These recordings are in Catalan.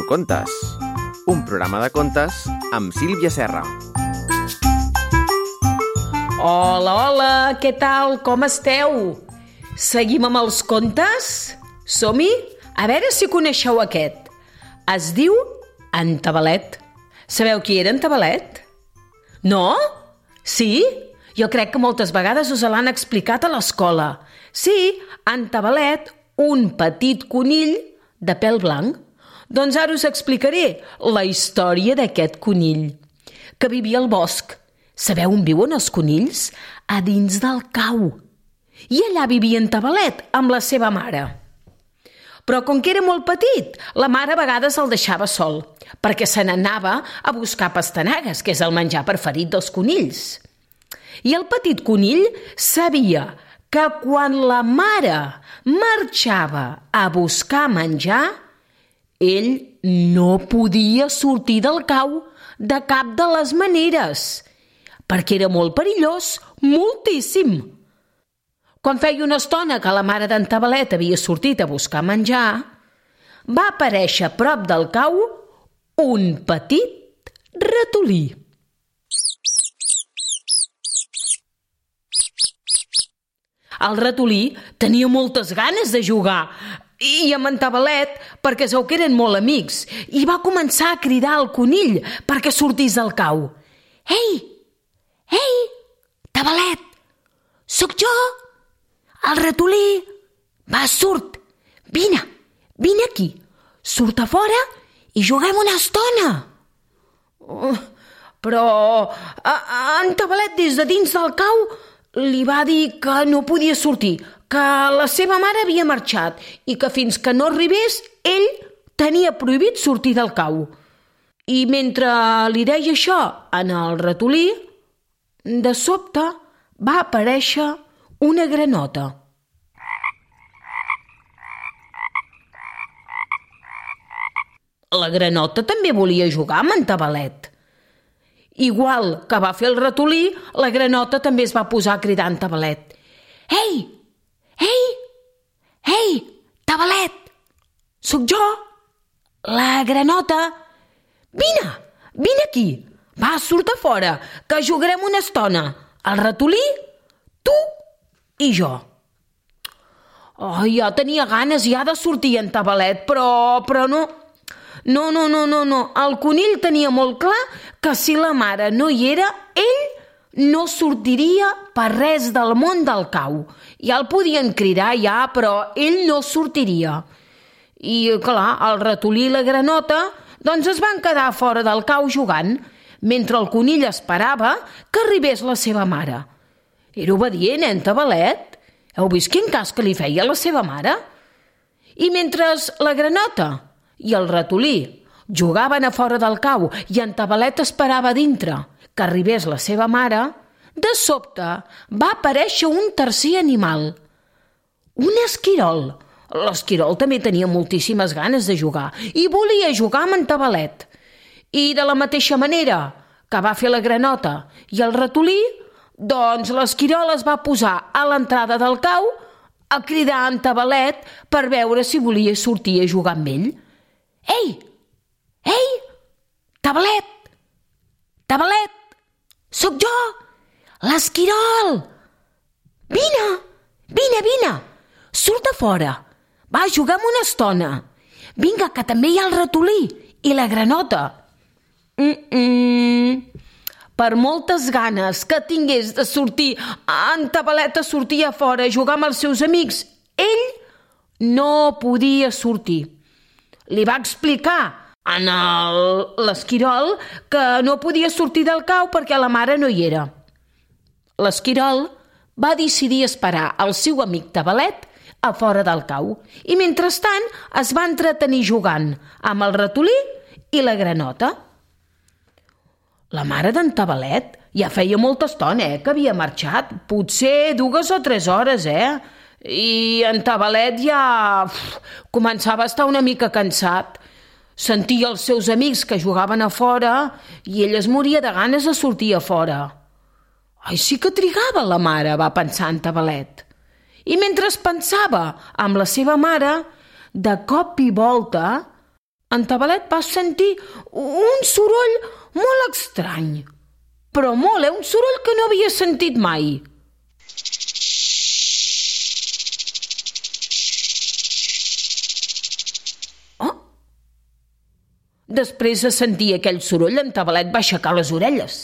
Contes, un programa de contes amb Sílvia Serra. Hola, hola, què tal? Com esteu? Seguim amb els contes? Som-hi? A veure si coneixeu aquest. Es diu En Tabalet. Sabeu qui era en Tabalet? No? Sí? Jo crec que moltes vegades us l'han explicat a l'escola. Sí, en Tabalet, un petit conill de pèl blanc. Doncs ara us explicaré la història d'aquest conill, que vivia al bosc. Sabeu on viuen els conills? A dins del cau. I allà vivia en Tabalet amb la seva mare. Però com que era molt petit, la mare a vegades el deixava sol, perquè se n'anava a buscar pastanagues, que és el menjar preferit dels conills. I el petit conill sabia que quan la mare marxava a buscar menjar, ell no podia sortir del cau de cap de les maneres, perquè era molt perillós, moltíssim. Quan feia una estona que la mare d'en Tabalet havia sortit a buscar menjar, va aparèixer a prop del cau un petit ratolí. El ratolí tenia moltes ganes de jugar i amb en Tabalet perquè es veu que eren molt amics i va començar a cridar al conill perquè sortís del cau. Ei, Tabalet, sóc jo, el ratolí. Va, surt, vine aquí, surt a fora i juguem una estona. Però en Tabalet des de dins del cau li va dir que no podia sortir, que la seva mare havia marxat i que fins que no arribés ell tenia prohibit sortir del cau. I mentre li deia això en el ratolí, de sobte va aparèixer una granota. La granota també volia jugar amb en Tabalet. Igual que va fer el ratolí, la granota també es va posar a cridar en Tabalet. Ei, Tabalet, sóc jo, la granota. Vine aquí, va, surt a fora, que jugarem una estona. El ratolí, tu i jo. Jo tenia ganes ja de sortir en Tabalet, però no. No. El conill tenia molt clar que si la mare no hi era, ell no sortiria per res del món del cau. Ja el podien cridar, però ell no sortiria. I, clar, el ratolí i la granota doncs es van quedar fora del cau jugant, mentre el conill esperava que arribés la seva mare. Era obedient, en Tabalet? Heu vist quin cas que li feia la seva mare? I mentre la granota i el ratolí jugaven a fora del cau i en Tabalet esperava dintre que arribés la seva mare, de sobte va aparèixer un tercer animal, un esquirol. L'esquirol també tenia moltíssimes ganes de jugar i volia jugar amb en Tabalet. I de la mateixa manera que va fer la granota i el ratolí, doncs l'esquirol es va posar a l'entrada del cau a cridar en Tabalet per veure si volia sortir a jugar amb ell. Ei, Tabalet, sóc jo, l'esquirol. Vine, surt a fora, va, juguem una estona. Vinga, que també hi ha el ratolí i la granota. Per moltes ganes que tingués de sortir en Tabalet a sortir a fora a jugar amb els seus amics, ell no podia sortir. Li va explicar a l'esquirol que no podia sortir del cau perquè la mare no hi era. L'esquirol va decidir esperar el seu amic Tabalet a fora del cau i mentrestant es va entretenir jugant amb el ratolí i la granota. La mare d'en Tabalet ja feia molta estona que havia marxat, potser 2 o 3 hores, I en Tabalet ja començava a estar una mica cansat. Sentia els seus amics que jugaven a fora i ell es moria de ganes de sortir a fora. Ai, sí que trigava la mare, va pensar en Tabalet. I mentre pensava amb la seva mare, de cop i volta En Tabalet va sentir un soroll molt estrany. Però molt, un soroll que no havia sentit mai. Després de sentir aquell soroll, en Tabalet va aixecar les orelles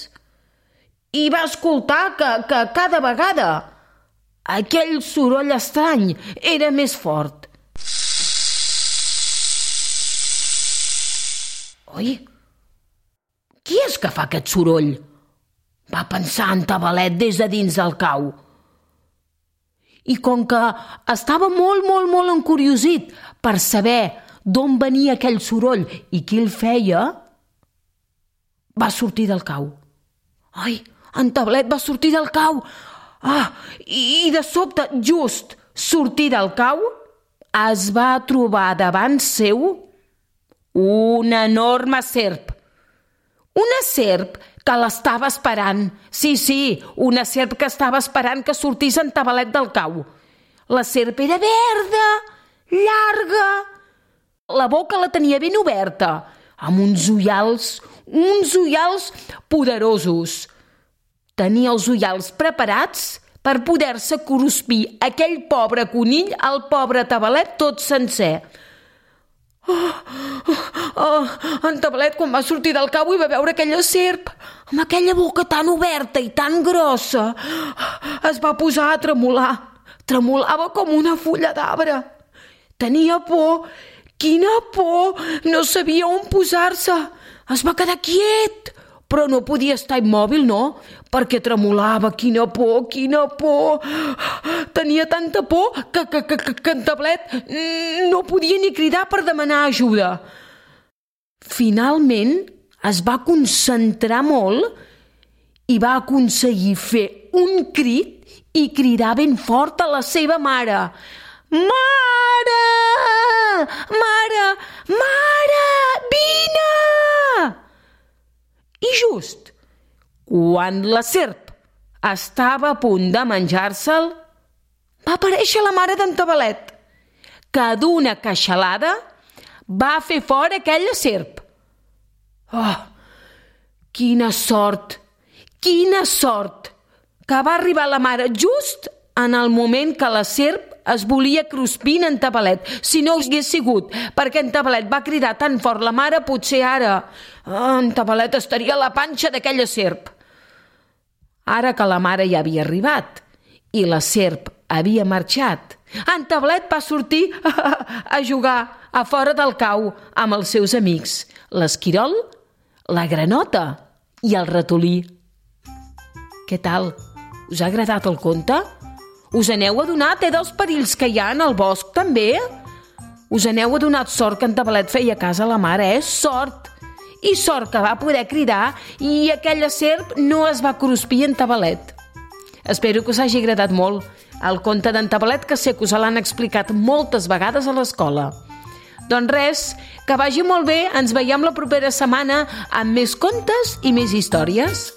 i va escoltar que cada vegada aquell soroll estrany era més fort. Oi? Qui és que fa aquest soroll? Va pensar en Tabalet des de dins del cau. I com que estava molt encuriosit per saber d'on venia aquell soroll i qui el feia, va sortir del cau. Ai, en Tabalet va sortir del cau. I de sobte, just sortir del cau, es va trobar davant seu una enorme serp. Una serp que l'estava esperant. Sí, una serp que estava esperant que sortís en Tabalet del cau. La serp era verda, llarga. La boca la tenia ben oberta, amb uns ullals poderosos. Tenia els ullals preparats per poder-se cruspir aquell pobre conill, el pobre Tabalet, tot sencer. En Tabalet, quan va sortir del cau i va veure aquella serp, amb aquella boca tan oberta i tan grossa, es va posar a tremolar. Tremolava com una fulla d'arbre. Tenia por. Quina por! No sabia on posar-se. Es va quedar quiet, però no podia estar immòbil, no? Perquè tremolava. Quina por! Tenia tanta por que en Tabalet no podia ni cridar per demanar ajuda. Finalment es va concentrar molt i va aconseguir fer un crit i cridar ben fort a la seva mare. Mare! Vine! I just quan la serp estava a punt de menjar-se'l, va aparèixer la mare d'en Tabalet, que d'una queixalada va fer fora aquella serp. Quina sort, que va arribar la mare just en el moment que la serp es volia cruspir en Tabalet. Si no hagués sigut perquè en Tabalet va cridar tan fort la mare, potser ara en Tabalet estaria a la panxa d'aquella serp. Ara que la mare ja havia arribat i la serp havia marxat, en Tabalet va sortir a jugar a fora del cau amb els seus amics, l'esquirol, la granota i el ratolí. Què tal? Us ha agradat el conte? Us n'heu adonat dels perills que hi ha en el bosc, també? Us n'heu adonat sort que en Tabalet feia cas a la mare, Sort! I sort que va poder cridar i aquella serp no es va cruspir en Tabalet. Espero que us hagi agradat molt el conte d'en Tabalet, que sé que us l'han explicat moltes vegades a l'escola. Doncs res, que vagi molt bé, ens veiem la propera setmana amb més contes i més històries.